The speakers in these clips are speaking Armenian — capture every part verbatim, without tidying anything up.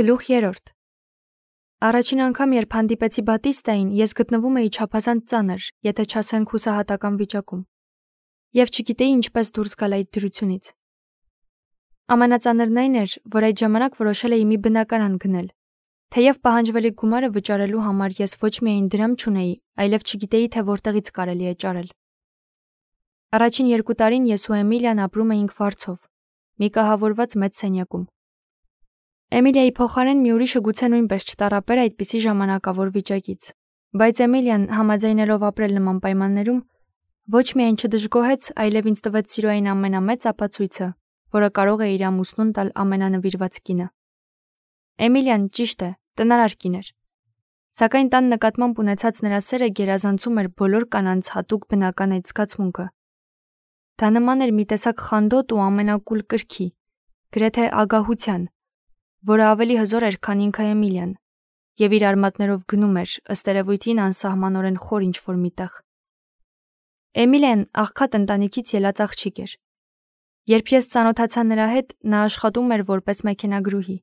Գլուխ երրորդ Առաջին անգամ, երբ հանդիպեցի Բատիստային, ես գտնվում էի չափազանց ծանր, եթե չասենք հուսահատական վիճակում, և չգիտեի ինչպես դուրս գալ այդ դրությունից։ Ամենածանրն այն էր, որ այդ ժամանակ որոշել էի մի բնակարան գնել, թեև պահանջվելիք գումարը վճարելու համար ես ոչ միայն դրամ չունեի, այլև չգիտեի, թե որտեղից կարելի է ճարել։ Առաջին երկու տարին ես ու Էմիլիան ապրում էինք վարձով, մի կահավորված մեծ սենյակում։ Էմիլիայի փոխարեն մի ուրիշը գուցե նույնպես չտառապեր այդպիսի ժամանակավոր վիճակից, բայց Էմիլիան, համաձայնելով ապրել նման պայմաններում, ոչ միայն չդժգոհեց, այլև ինձ տվեց սիրո այն ամենամեծ ապացույցը, որը կարող է իր ամուսնուն տալ ամենանվիրված կինը։ Էմիլիան, ճիշտ է, տնարար կին էր, սակայն տան նկատմամբ ունեցած նրա սերը գերազանցում էր բոլոր կանանց հատուկ բնական այդ զգացմունքը։ Դա նման էր մի տեսակ խանդոտ ու ամենակուլ կրքի, գրեթե ագահության, որը ավելի հզոր էր, քան ինքը Էմիլիան, և իր արմատներով գնում էր, ըստ երևույթին անսահմանորեն խոր ինչ-որ միտեղ։ Էմիլիան աղքատ ընտանիքից ելած աղջիկ էր։ Երբ ես ծանոթացա նրա հետ, նա աշխատում էր որպես մեքենագրուհի։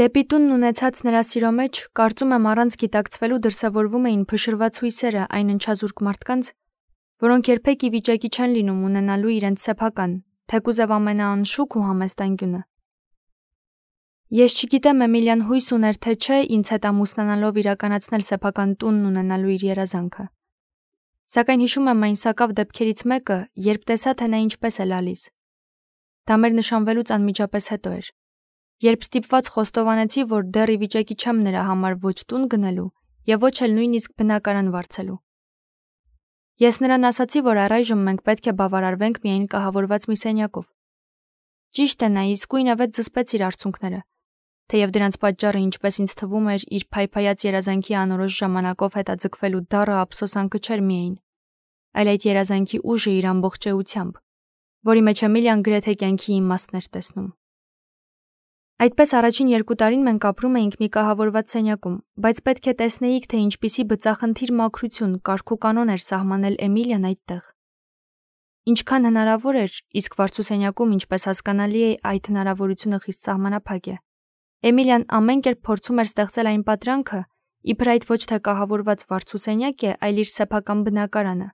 Դեպի տունն ունեցած նրա սիրո մեջ, կարծում եմ, առանց գիտակցվելու դրսևորվում էին փշրված հույսերը այն ընչազուրկ մարդկանց, որոնք երբեք ի վիճակի չեն լինում ունենալու իրենց սեփական, թեկուզև ամենաանշուք ու համեստ անկյունը։ Ես չգիտեմ Էմիլիան հույս ուներ, թե չէ, ինձ հետ ամուսնանալով իրականացնել սեփական տունն ունենալու իր երազանքը։ Սակայն հիշում եմ այն սակավ դեպքերից մեկը, երբ տեսա, թե նա ինչպես է լալիս։ Դա մեր նշանվելուց անմիջապես հետո էր, երբ ստիպված խոստովանեցի, որ դեռ ի վիճակի չեմ նրա համար ոչ տուն գնելու և ոչ էլ նույնիսկ բնակարան վարձելու։ Ես նրան ասացի, որ առայժմ մենք պետք է բավարարվենք միայն կահավորված մի սենյակով։ Ճիշտ է, նա իսկույնևեթ զսպեց իր արցունքները, թեև դրանց պատճառը, ինչպես ինձ թվում էր, իր փայփայած երազանքի անորոշ ժամանակով հետաձգվելու դառը ափսոսանքը չէր միայն, այլ այդ երազանքի ուժը իր ամբողջ էությամբ, որի մեջ Էմիլիան գրեթե կյանքի իմաստն էր տեսնում։ Այդպես առաջին երկու տարին մենք ապրում էինք մի կահավորված սենյակում, բայց պետք է տեսնեիք, թե ինչպիսի բծախնդիր մաքրություն, կարգ ու կանոն էր սահմանել Էմիլիան այդտեղ։ Ինչքան հնարավոր էր, իսկ վարձու սենյակում, ինչպես հասկանալի է, այդ հնարավորությունը խիստ սահմանափակ է։ Էմիլիան ամեն կերպ փորձում էր ստեղծել այն պատրանքը, իբր այդ ոչ թե կահավորված վարձու սենյակ է, այլ իր սեփական բնակարանը։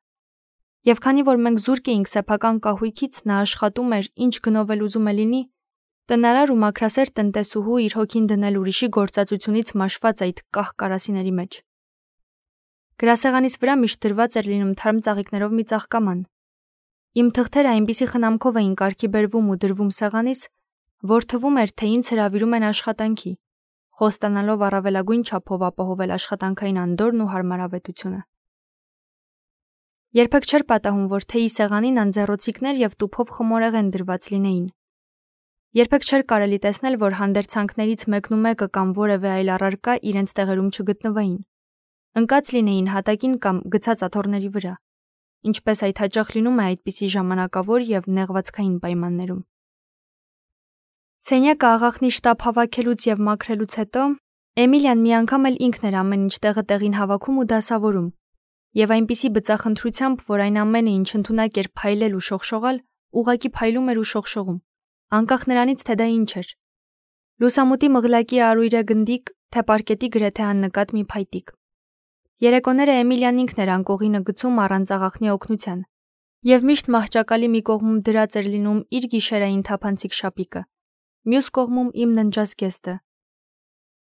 Եվ քանի որ մենք զուրկ էինք սեփական կահույքից, նա աշխատում էր, ինչ գնով էլ ուզում է լինի, տնարար ու մաքրասեր տնտեսուհու իր հոգին դնել ուրիշի գործածությունից մաշված այդ կահ կարասիների մեջ։ Գրասեղանիս վրա միշտ դրված էր լինում թարմ ծաղիկներով մի ծաղկաման։ Իմ թղթերը այնպիսի խնամքով էին կարգի բերվում ու դրվում սեղանիս, որ թվում էր, թե ինձ հրավիրում են աշխատանքի, խոստանալով առավելագույն չափով ապահովել աշխատանքային անդորրն ու հարմարավետությունը։ Երբեք չէր պատահում, որ թեյի սեղանին անձեռոցիկներ և տուփով խմորեղեն դրված լինեին։ Երբեք չէր կարելի տեսնել, որ հանդերձանքներից մեկն ու մեկը կամ որևէ այլ առարկա իրենց տեղերում չգտնվեին, ընկած լինեին հատակին կամ գցած աթոռների վրա, ինչպես այդ հաճախ լինում է այդպիսի ժամանակավոր և նեղվածքային պայմաններում։ Սենյակը աղախնի շտապ հավաքելուց և մաքրելուց հետո Էմիլիան մի անգամ էլ ինքն էր ամեն ինչ տեղը տեղին հավաքում ու դասավորում, և այնպիսի բծախնդրությամբ, որ այն ամենը, ինչ ընդունակ էր փայլել ու շողշողալ, ուղղակի փայլում էր ու շողշողում, անկախ նրանից, թե դա ինչ էր։ Լուսամուտի մղլակի արույրե գնդիկ, թե պարկետի գրեթե աննկատ մի փայտիկ։ Երեկոները Էմիլիան ինքն էր անկողինը գցում առանց աղախնի օգնության, և միշտ մահճակալի մի կողմում դրած էր լինում իր գիշերային թափանցիկ շապիկը, մյուս կողմում իմ ննջազգեստը։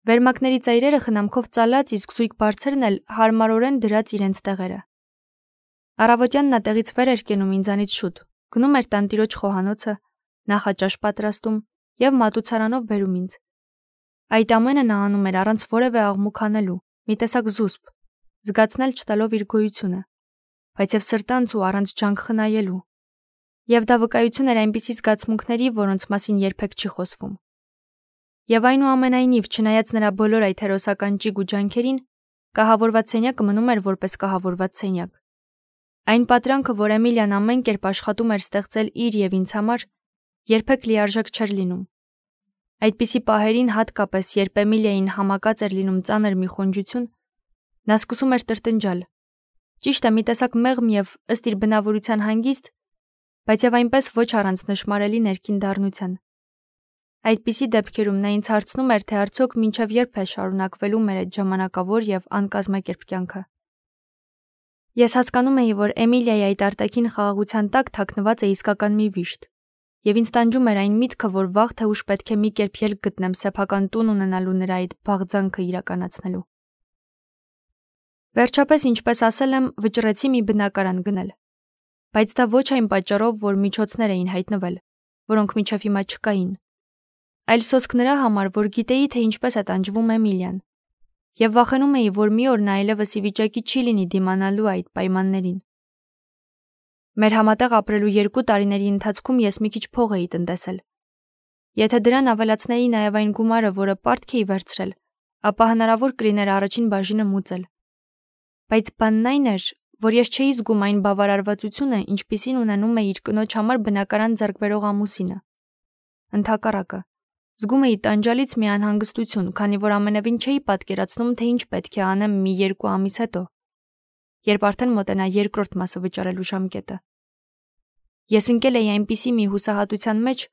Վերմակների ծայրերը խնամքով ծալած, իսկ զույգ բարձրն էլ հարմարորեն դրած իրենց տեղերը։ Առավոտյան նա տեղից վեր էր կենում ինձանից շուտ, գնում էր տանտիրոջ խոհանոցը, նախաճաշ պատրաստում և մատուցարանով բերում ինձ։ Այդ ամենը նա անում էր առանց որևէ աղմուկ անելու, մի տեսակ զուսպ, զգացնել չտալով իր գոյությունը, բայց և սրտանց ու առանց ջանք խնայելու։ Եվ դա վկայություն էր այնպիսի զգացմունքների, որոնց մասին երբեք չի խոսվում։ Եվ այնուամենայնիվ, չնայած նրա բոլոր այդ հերոսական ճիգ ու ջանքերին, կահավորված սենյակը մնում էր որպես կահավորված սենյակ։ Այն պատրանքը, որ Էմիլիան ամեն կերպ աշխատում էր ստեղծել իր և ինձ համար, երբեք լիարժեք չէր լինում։ Այդպիսի պահերին, հատկապես, երբ Էմիլիային համակած էր լինում ծանր մի խոնջություն, նա սկսում էր տրտնջալ։ Ճիշտ է, մի տեսակ մեղմ և ըստ իր բնավորության հանգիստ, բայց և այնպես ոչ առանց նշմարելի ներքին դառնության։ Այդպիսի դեպքերում նա ինձ հարցնում էր, թե արդյոք մինչև երբ է շարունակվելու մեր այդ ժամանակավոր եւ անկազմակերպ կյանքը։ Ես հասկանում էի, որ Էմիլիայի այդ արտաքին խաղաղության տակ թաքնված է իսկական մի վիշտ, եւ ինձ տանջում էր այն միտքը, որ վաղ թե ուշ պետք է մի կերպ ելք գտնեմ սեփական տուն ունենալու նրա այդ բաղձանքը իրականացնելու։ Վերջապես, ինչպես ասել եմ, վճռեցի մի բնակարան գնել, բայց դա ոչ այն պատճառով, որ միջոցներ էին հայտնվել, որոնք մինչև հիմա չկային, այլ սոսկ նրա համար, որ գիտեի, թե ինչպես է տանջվում Էմիլիան, եւ վախենում էի, որ մի օր նա այլևս ի վիճակի չի լինի դիմանալու այդ պայմաններին։ Մեր համատեղ ապրելու երկու տարիների ընթացքում ես մի քիչ փող էի տնտեսել։ Եթե դրան ավելացնեի նաև այն գումարը, որը պարտք էի վերցրել, ապա հնարավոր կլիներ առաջին բաժինը մուծել։ Բայց բանն այն էր, որ ես չէի զգում այն բավարարվածությունը, ինչպիսին ունենում է իր կնոջ համար բնակարան ձեռք բերող ամուսինը։ Ընդհակառակը, զգում էի տանջալից մի անհանգստություն, քանի որ ամենևին չէի պատկերացնում, թե ինչ պետք է անեմ մի երկու ամիս հետո, երբ արդեն մոտենա երկրորդ մասը վճարելու ժամկետը։ Ես ընկել էի այնպիսի մի հուսահատության մեջ,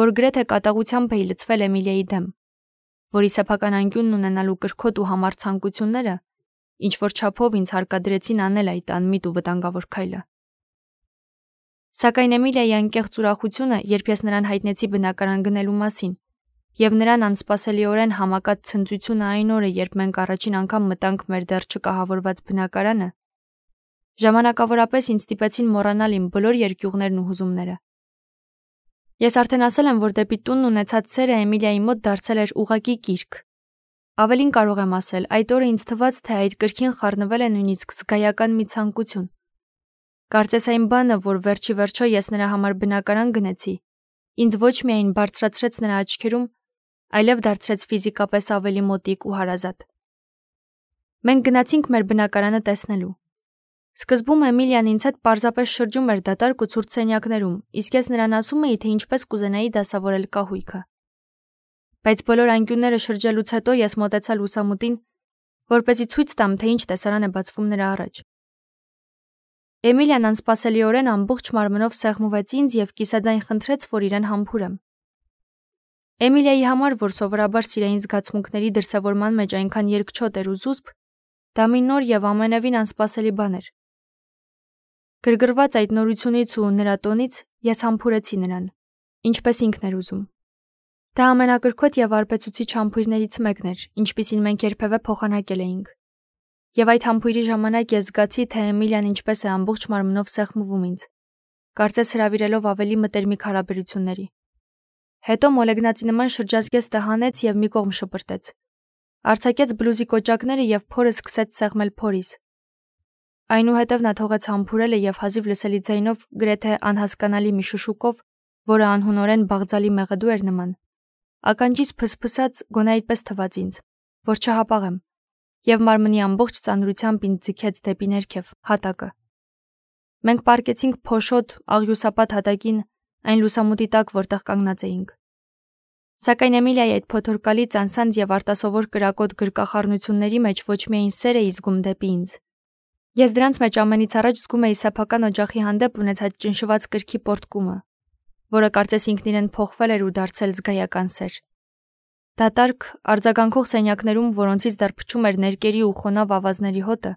որ գրեթե կատաղությամբ էի լցվել Էմիլիայի դեմ, որի սեփական անկյունն ունենալու կրքոտ ու համառ ցանկությունները ինչ որ չափով ինձ հարկադրեցին անել այդ անմիտ ու վտանգավոր քայլը։ Սակայն Էմիլիայի անկեղծ ուրախությունը, երբ ես նրան հայտնեցի բնակարան գնելու մասին, եւ նրան անսպասելիորեն համակած ցնծությունը այն օրը, երբ մենք առաջին անգամ մտանք մեր դեռ չկահավորված բնակարանը, ժամանակավորապես ինձ ստիպեցին մոռանալ իմ բոլոր երկյուղներն ու հուզումները։ Ես արդեն ասել եմ, որ դեպի տունն ունեցած սերը Էմիլիայի մոտ դարձել էր ուղղակի կիրք։ Ավելին կարող եմ ասել, այդ օրը ինձ թվաց, թե այդ կրքին խառնվել է նույնիսկ զգայական մի ցանկություն։ Կարծես այն բանը, որ վերջի վերջո ես նրա համար բնակարան գնեցի, ինձ ոչ միայն բարձրացրեց նրա աչքերում, այլև դարձրեց ֆիզիկապես ավելի մոտիկ ու հարազատ։ Մենք գնացինք մեր բնակարանը տեսնելու։ Սկզբում Էմիլիան ինձ հետ պարզապես շրջում էր դատարկ ու ցուրտ սենյակներում, իսկ ես նրան ասում էի, թե ինչպես կուզենայի դասավորել կահույքը։ Բայց բոլոր անկյունները շրջելուց հետո ես մոտեցա լուսամուտին, որպեսզի ցույց տամ, թե ինչ տեսարան է բացվում նրա առաջ։ Էմիլիան անսպասելիորեն ամբողջ մարմնով սեղմվեց ինձ եւ կիսաձայն խնդրեց, որ իրեն համբուրեմ։ Էմիլիայի համար, որ սովորաբար սիրային զգացմունքների դրսևորման մեջ այնքան երկչոտ էր ու զուսպ, դա մի նոր եւ ամենևին անսպասելի բան էր։ Գրգռված այդ նորությունից ու նրա տոնից ես համբուրեցի նրան, ինչպես ինքն էր ուզում։ Դա ամենակրքոտ եւ արբեցուցիչ համբույրներից մեկն էր, ինչպիսին մենք երբևէ փոխանակել էինք։ Եվ այդ համբույրի ժամանակ ես զգացի, թե Էմիլիան ինչպես է ամբողջ մարմնով սեղմվում ինձ, կարծես հրավիրելով ավելի մտերմիկ հարաբերությունների։ Հետո մոլեգնացի նման շրջազգեց տհանեց եւ մի կողմ շպրտեց։ Արձակեց բլուզի կոճակները եւ փորը սկսեց սեղմել փորիս։ Այնուհետև նա թողեց համբուրելը եւ հազիվ լսելի ձայնով, գրեթե անհասկանալի մի շշուկով, որը անհունորեն բաղձալի մեղեդու էր նման, ականջից փսփսած գոնե այդպես թվաց ինձ, որ չհապաղեմ, եւ մարմնի ամբողջ ծանրությամբ ինձ ձգեց դեպի ներքև, հատակը։ Մենք պառկեցինք փոշոտ, աղյուսապատ հատակին, այն լուսամուտի տակ, որտեղ կանգնած էինք։ Սակայն Էմիլիայի այդ փոթորկալի ծանսանձ եւ արտասովոր կրակոտ գրկախառնությունների մեջ ոչ միայն սեր էի զգում դեպի ինձ։ Ես դրանց մեջ ամենից առաջ զգում էի սեփական օջախի հանդեպ ունեցած ճնշված կրքի պոռթկումը, որը կարծես ինքն իրեն փոխվել էր ու դարձել զգայական սեր։ Դատարկ, արձագանքող սենյակներում, որոնցից դեռ փչում էր ներկերի ու խոնավ ավազների հոտը,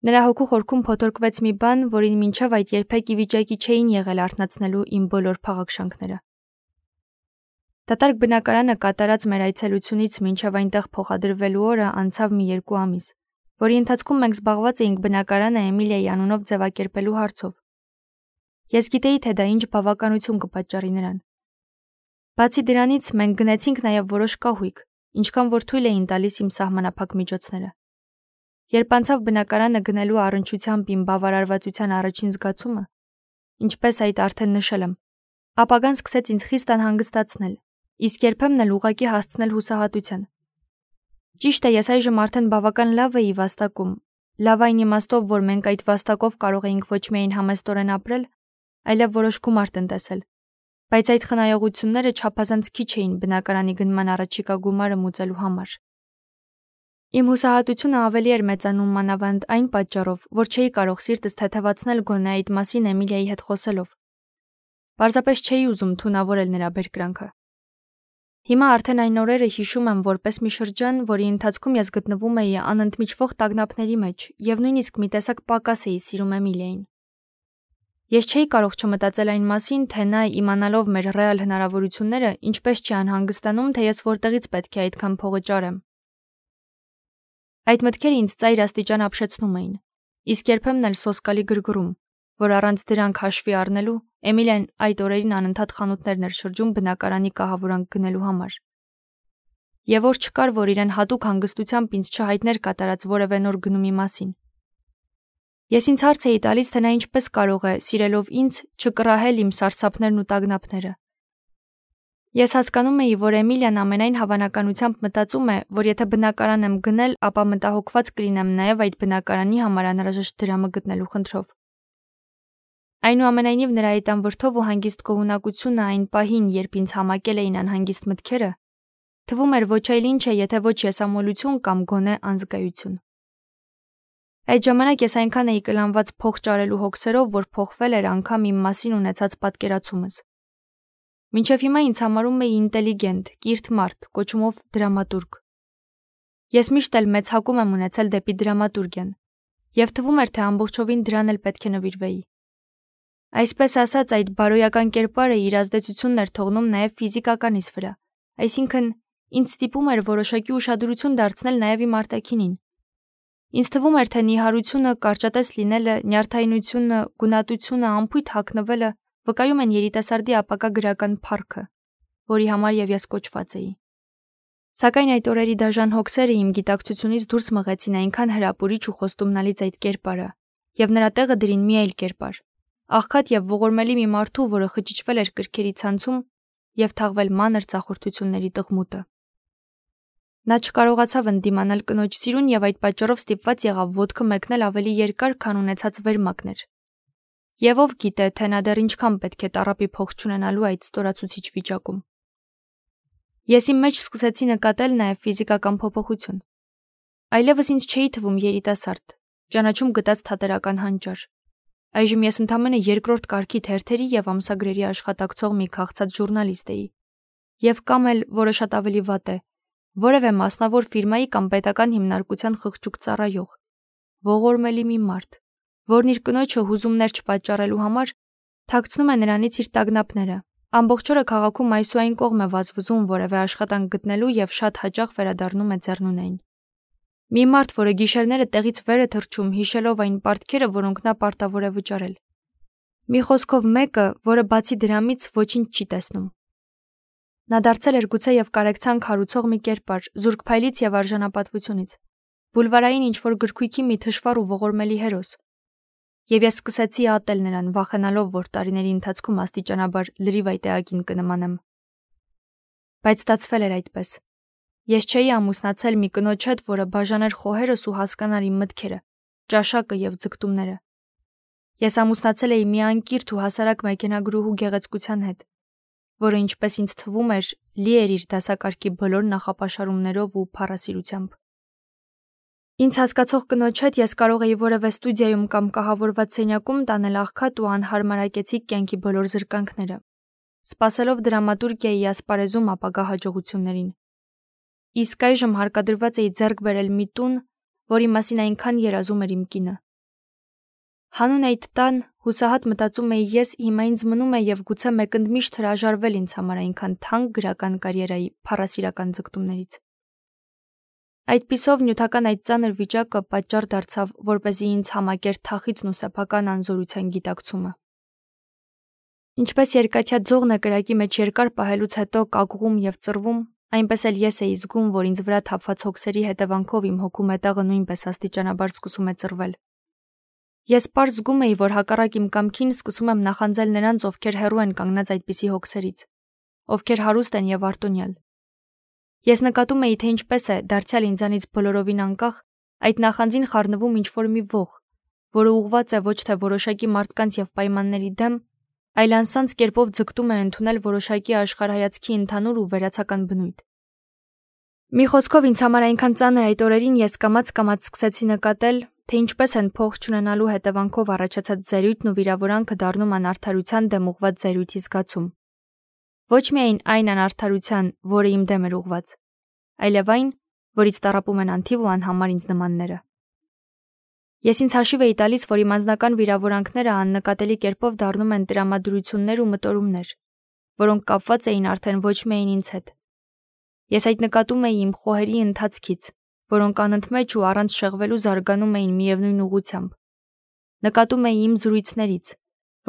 նրա հոգու խորքում փոթորկվեց մի բան, որին մինչև այդ երբեք ի վիճակի չէին եղել արթնացնելու իմ բոլոր փաղաքշանքները։ Դատարկ բնակարանը կատարած մեր այցելությունից մինչև այնտեղ փոխադրվելու օրը անցավ մի երկու ամիս, որի ընթացքում մենք զբաղված էինք բնակարանը Էմիլիայի անունով ձևակերպելու հարցով։ Ես գիտեի, թե դա ինչ բավականություն կպատճառի նրան։ Բացի դրանից, մենք գնեցինք նաև որոշ կահույք, ինչքան որ թույլ էին տալիս իմ սահմանափակ միջոցները։ Երբ անցավ բնակարանը գնելու առնչությամբ իմ բավարարվածության առաջին զգացումը, ինչպես այդ արդեն նշել եմ, ապագան սկսեց ինձ խիստ անհանգստացնել, իսկ երբեմն էլ ուղղակի հասցնել հուսահատության։ Ճիշտ է, ես այժմ արդեն բավական լավ էի վաստակում, լավ այն իմաստով, որ մենք այդ վաստակով կարող էինք ոչ միայն համեստորեն ապրել, այլև որոշ գումար տնտեսել, բայց այդ խնայողությունները չափազանց քիչ էին բնակարանի գնման առաջիկա գումարը մուծելու համար։ Իմ հուսահատությունը ավելի էր մեծանում մանավանդ այն պատճառով, որ չէի կարող սիրտս թեթևացնել գոնե այդ մասին Էմիլիայի հետ խոսելով։ Պարզապես չէի ուզում թունավորել նրա բերկրանքը։ Հիմա արդեն այն օրերը հիշում եմ որպես մի շրջան, որի ընթացքում ես գտնվում էի անընդմիջվող տագնապների մեջ եւ նույնիսկ մի տեսակ պակաս էի սիրում Էմիլիային։ Ես չէի կարող չմտածել այն մասին, թե նա իմանալով մեր ռեալ հնարավորությունները ինչպես չի անհանգստանում, թե ես որտեղից պետք է այդքան փողը ճարեմ։ Այդ մտքերը ինձ ծայր աստիճան ապշեցնում էին, իսկ երբեմն էլ սոսկալի գրգռում, որ առանց դրանք հաշվի առնելու Էմիլիան այդ օրերին անընդհատ խանութներն էր շրջում բնակարանի կահավորանք գնելու համար։ Եվ որ չկար, որ իրեն հատուկ հանգստությամբ ինձ չհայտներ կատարած որևէ նոր գնումի մասին։ Ես ինձ հարց էի տալիս, թե նա ինչպես կարող է, սիրելով ինձ, չկռահել իմ սարսափներն ու տագնապները։ Ես հասկանում էի, որ Էմիլիան ամենայն հավանականությամբ մտածում է, որ եթե բնակարան եմ գնել, ապա մտահոգված կլինեմ նաև այդ բնակարանի համար անհրաժեշտ դրամը գտնելու խնդրով։ Այնուամենայնիվ նրա այդ անվրդով ու հանգիստ գոհունակությունը այն պահին, երբ ինձ համակել էին անհանգիստ մտքերը, թվում էր ոչ այլ ինչ է, եթե ոչ եսամոլություն կամ գոնե անզգայություն։ Այդ ժամանակ ես այնքան էի կլանված փող ճարելու հոգսերով, որ փոխվել էր անգամ իմ մասին ունեցած պատկերացումս։ Մինչև հիմա ինձ համարում էի ինտելիգենտ, կիրթ մարդ, կոչումով դրամատուրգ։ Ես միշտ էլ մեծ հակում եմ ունեցել դեպի դրամատուրգիան, եւ թվում էր, թե ամբողջովին դրան էլ պետք է նվիրվեի։ Այսպես ասած, այդ բարոյական կերպարը իր ազդեցությունն էր թողնում նաև ֆիզիկականիս վրա, այսինքն ինձ ստիպում էր որոշակի ուշադրություն դարձնել նաև իմ արտաքինին։ Ինձ թվում էր, թե նիհարությունը, կարճատես լինելը, նյարդայնությունը, գունատությունը, անփույթ հագնվելը վկայում են երիտասարդի ապագա գրական փառքը, որի համար եւ ես կոչված էի։ Սակայն այդ օրերի դաժան հոգսերը իմ գիտակցությունից դուրս մղեցին այնքան հրապուրիչ ու խոստումնալից այդ կերպարը, եւ նրա տեղը դրին մի այլ կերպար, աղքատ եւ ողորմելի մի մարդու, որը խճճվել էր կրքերի ցանցում եւ թաղվել մանր ծախորդությունների տղմուտը։ Նա չկարողացավ ընդդիմանալ կնոջ սիրուն եւ այդ պատճառով ստիպված եղավ ոտքը մեկնել ավելի երկար, քան ունեցած վերմակներ։ Եվ ով գիտե, թե նա դեռ ինչքան պետք է տառապի փող չունենալու այդ ստորացուցիչ վիճակում։ Ես իմ մեջ սկսեցի նկատել նաև ֆիզիկական փոփոխություն։ Այլևս ինձ չէի թվում երիտասարդ, ճանաչում գտած թատերական հանճար։ Այժմ ես ընդամենը երկրորդ կարգի թերթերի եւ ամսագրերի աշխատակցող մի քաղցած ժուրնալիստ էի։ Եվ կամ էլ, որը շատ ավելի վատ է, որևէ մասնավոր ֆիրմայի կամ պետական հիմնարկության խղճուկ ծառայող, ողորմելի մի մարդ, որն իր կնոջը հուզումներ չպատճառելու համար թաքցնում է նրանից իր տագնապները, ամբողջ օրը քաղաքում այս ու այն կողմ է վազվզում որևէ աշխատանք գտնելու եւ շատ հաճախ վերադառնում է ձեռնունայն։ Մի մարդ, որը գիշերները տեղից վեր է թռչում, հիշելով այն պարտքերը, որոնք նա պարտավոր է վճարել։ Մի խոսքով մեկը, որը բացի դրամից ոչինչ չի տեսնում։ Նա դարձել էր գուցե եւ կարեկցանք հարուցող մի կերպար, զուրկ փայլից եւ արժանապատվությունից, բուլվարային ինչ-որ գրքույկի մի թշվառ ու ողորմելի հերոս։ Եվ ես սկսեցի ատել նրան, վախենալով, որ տարիների ընթացքում աստիճանաբար լրիվ այդ էակին կնմանեմ։ Բայց ստացվել էր այդպես։ Ես չէի ամուսնացել մի կնոջ հետ, որը բաժաներ խոհերս ու հասկանար իմ մտքերը, ճաշակը եւ ձգտումները։ Ես ամուսնացել էի մի անկիրթ ու հասարակ մեքենագրուհու գեղեցկության հետ, որը ինչպես ինձ թվում էր, լի էր իր դասակարգի բոլոր նախապաշարումներով ու փառասիրությամբ։ Ինձ հասկացող կնոջ հետ ես կարող էի որևէ ստուդիայում կամ կահավորված սենյակում տանել աղքատ ու անհարմարակեցիկ կյանքի բոլոր զրկանքները, սպասելով դրամատուրգիայի ասպարեզում ապագա հաջողություններին։ Իսկ այժմ հարկադրված էի ձեռք բերել մի տուն, որի մասին այնքան երազում էր իմ կինը։ Հանուն այդ տան հուսահատ մտածում էի ես, հիմա ինձ մնում է եւ գուցե մեկընդմիշտ հրաժարվել ինձ համար այնքան թանկ գրական կարիերայի փառասիրական ձգտումներից։ Այդպիսով նյութական այդ ծանր վիճակը պատճառ դարձավ, որպեսզի ինձ համակեր թախիծն ու սեփական անզորության գիտակցումը։ Ինչպես երկաթյա ձողն է կրակի մեջ երկար պահելուց հետո կակուղում եւ ծռվում, այնպես էլ ես էի զգում, որ ինձ վրա թափված հոգսերի հետևանքով իմ հոգու մետաղը նույնպես աստիճանաբար սկսում է ծռվել։ Ես պարզ զգում էի, որ հակառակ իմ կամքին սկսում եմ նախանձել նրանց, ովքեր հեռու են կանգնած այդպիսի հոգսերից, ովքեր հարուստ են եւ արտոնյալ։ Ես նկատում էի, թե ինչպես է, դարձյալ ինձանից բոլորովին անկախ, այդ նախանձին խառնվում ինչ-որ մի ող, որը ուղղված է ոչ թե որոշակի մարդկանց եւ պայմանների դեմ, այլ անսանց կերպով ձգտում է ընդունել որոշակի աշխարհայացքի ընդհանուր ու վերացական բնույթ։ Մի խոսքով ինձ համար այնքան ծանր այդ օրերին ես կամաց-կամաց սկսեցի նկատել, թե ինչպես են փող չունենալու հետևանքով առաջացած զայրույթն ու վիրավորանքը դառնում անարդարության դեմ ուղղված զայրույթի զգացում։ Ոչ միայն այն անարդարության, որը իմ դեմ էր ուղված, այլև այն, որից տառապում են անթիվ ու անհամար ինձ նմանները։ Ես ինձ հաշիվ էի տալիս, որ իմ անձնական վիրավորանքները աննկատելի կերպով դառնում են տրամադրություններ ու մտորումներ, որոնք կապված էին արդեն ոչ միայն ինձ հետ։ Ես այդ նկատում էի իմ խոհերի ընթացքից, որոնք անընդմեջ ու առանց շեղվելու զարգանում էին միևնույն ուղղությամբ։ Նկատում էի իմ զրույցներից,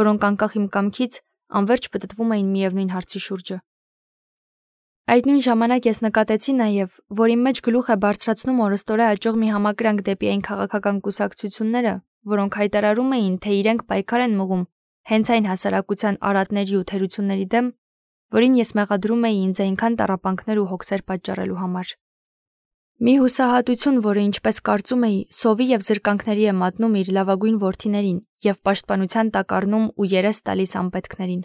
որոնք անկախ իմ կամքից անverջ պտտվում էին միևնույն հարցի շուրջը։ Այդ նույն ժամանակ ես նկատեցի նաև, որ իմ մեջ գլուխ է բարձրացնում օրըստօրե աճող մի համակրանք դեպի այն քաղաքական կուսակցությունները, որոնք հայտարարում էին, թե իրենք պայքար են մղում հենց այն հասարակության արատների ու թերությունների դեմ, որին ես մեղադրում էի ինձ այնքան տառապանքներ ու հոգսեր պատճառելու համար։ Մի հուսահատություն, որը, ինչպես կարծում էի, սովի և զրկանքների է մատնում իր լավագույն որդիներին և պաշտպանության տակ առնում ու երես տալիս անպետքներին։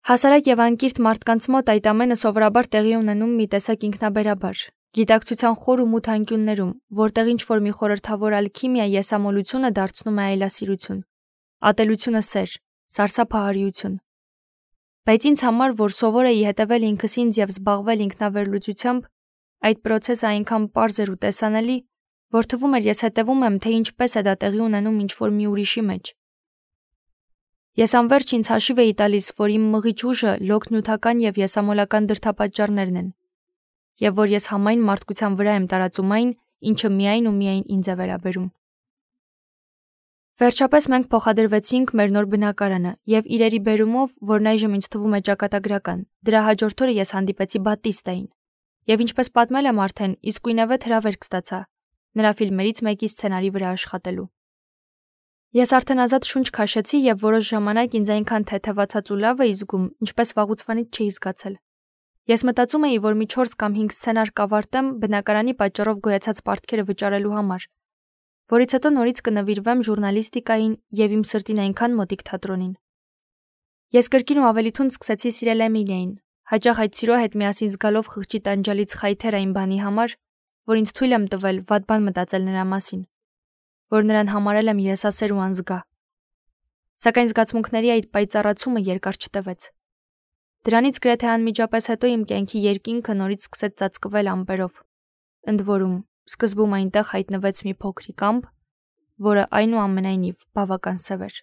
Հասարակ և անկիրթ մարդկանց մոտ այդ ամենը սովորաբար տեղի ունենում մի տեսակ ինքնաբերաբար, գիտակցության խոր ու մութ անկյուններում, որտեղ ինչ-որ մի խորհրդավոր ալքիմիա եսամոլությունը դարձնում է այլասիրություն, ատելությունը սեր, սարսափահարիություն։ Բայց ինձ համար, որ սովոր էի հետևել ինքս ինձ և զբաղվել ինքնավերլուծությամբ, այդ պրոցեսը այնքան պարզ էր ու տեսանելի, որ թվում էր ես հետևում եմ, թե ինչպես է դա տեղի ունենում ինչ-որ մի ուրիշի մեջ։ Ես անverջ ինձ հաշիվ էի տալիս, որ իմ մղիչ ուժը լոկ նյութական և եսամոլական դրդապատճառներն են, և որ ես համայն մարդկության վրա եմ տարածում այն, ինչը միայն ու միայն ինձ է վերաբերում։ Վերջապես մենք փոխադրվեցինք մեր նոր բնակարանը և իրերի բերումով, որն այժմ ինձ թվում է ճակատագրական, դրա հաջորդ օրը ես հանդիպեցի Բատիստային և ինչպես պատմել եմ արդեն, իսկույնևեթ հրավերք ստացա նրա ֆիլմերից մեկի սցենարի վրա աշխատելու։ Ես արդեն ազատ շունչ քաշեցի և որոշ ժամանակ ինձ այնքան թեթևացած ու լավ էի զգում, ինչպես վաղուցվանից չէի զգացել։ Ես մտածում էի, որ մի չորս կամ հինգ սցենար կավարտեմ բնակարանի պատճառով գոյացած պարտքերը վճարելու համար, որից հետո նորից կնվիրվեմ ժուռնալիստիկային և իմ սրտին այնքան մոտիկ թատրոնին։ Ես կրկին ու ավելի թունդ սկսեցի սիրել Էմիլիային, հաճախ այդ սիրո հետ միասին զգալով խղճի տանջալից խայթեր այն բանի համար, որ ինձ թույլ եմ տվել վատ բան մտածել նրա մասին, որ նրան համարել եմ եսասեր ու անզգա։ Սակայն զգացմունքների այդ պայծառացումը երկար չտևեց։ Դրանից գրեթե անմիջապես հետո իմ կյանքի երկինքը նորից սկսեց ծածկվել ամպերով։ Ընդ որում, սկզբում այնտեղ հայտնվեց մի փոքրիկ ամպ, որը այնուամենայնիվ բավական սև էր։